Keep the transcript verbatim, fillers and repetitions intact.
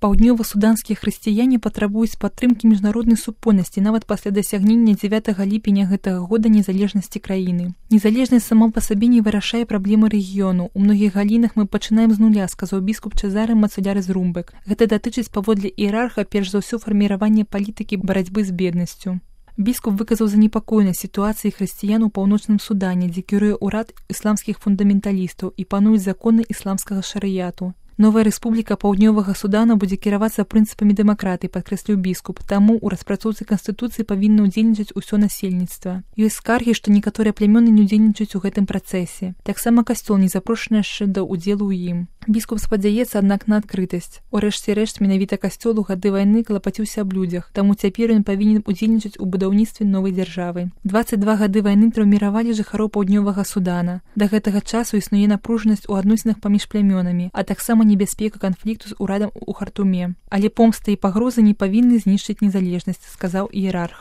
Паўднёва-суданскія хрысціяне патрабуюць падтрымкі міжнароднай супольнасці нават пасля дасягнення дзевятага ліпеня гэтага года незалежнасці краіны. Незалежнасць сама па сабе не вырашае праблемы рэгіёну. У многіх галінах мы пачынаем з нуля, сказаў біскуп Чезаре Мацуляре з Румбек. Гэта датычыць паводле іерарха перш за ўсё фарміравання палітыкі барацьбы з беднасцю. Біскуп выказаў занепакоенасць сітуацыі хрысціян у паўночным Судане, дзе кіруе ўрад ісламскіх фундаменталістаў і пануюць законы ісламскага шарыяту. Новая рэспубліка Паўднёвага Судана будзе кіравацца прынцыпамі дэмакратыі, падкрэсліў біскуп, таму ў распрацоўцы канстытуцыі павінна ўдзельнічаць усё насельніцтва. Ёсць скаргі, што некаторыя плямёны не ўдзельнічаюць у гэтым працэсе. Таксама касцёл не запрошаны яшчэ да ўдзелу ў ім. Біскуп спадзяецца, аднак, на адкрытасць. Урэшце рэшт, менавіта касцёл у гады вайны клапаціўся аб людзях, таму цяпер ён павінен удзельнічаць у будаўніцтве новай дзяржавы. дваццаць два гады вайны траўміравалі жыхароў Паўднёвага Судана. Да гэтага часу існуе напружанасць у адносінах паміж плямёнамі, а таксама небяспека канфлікту з урадам у Хартуме. Але помста і пагрозы не павінны знішчыць незалежнасць, сказаў іерарх.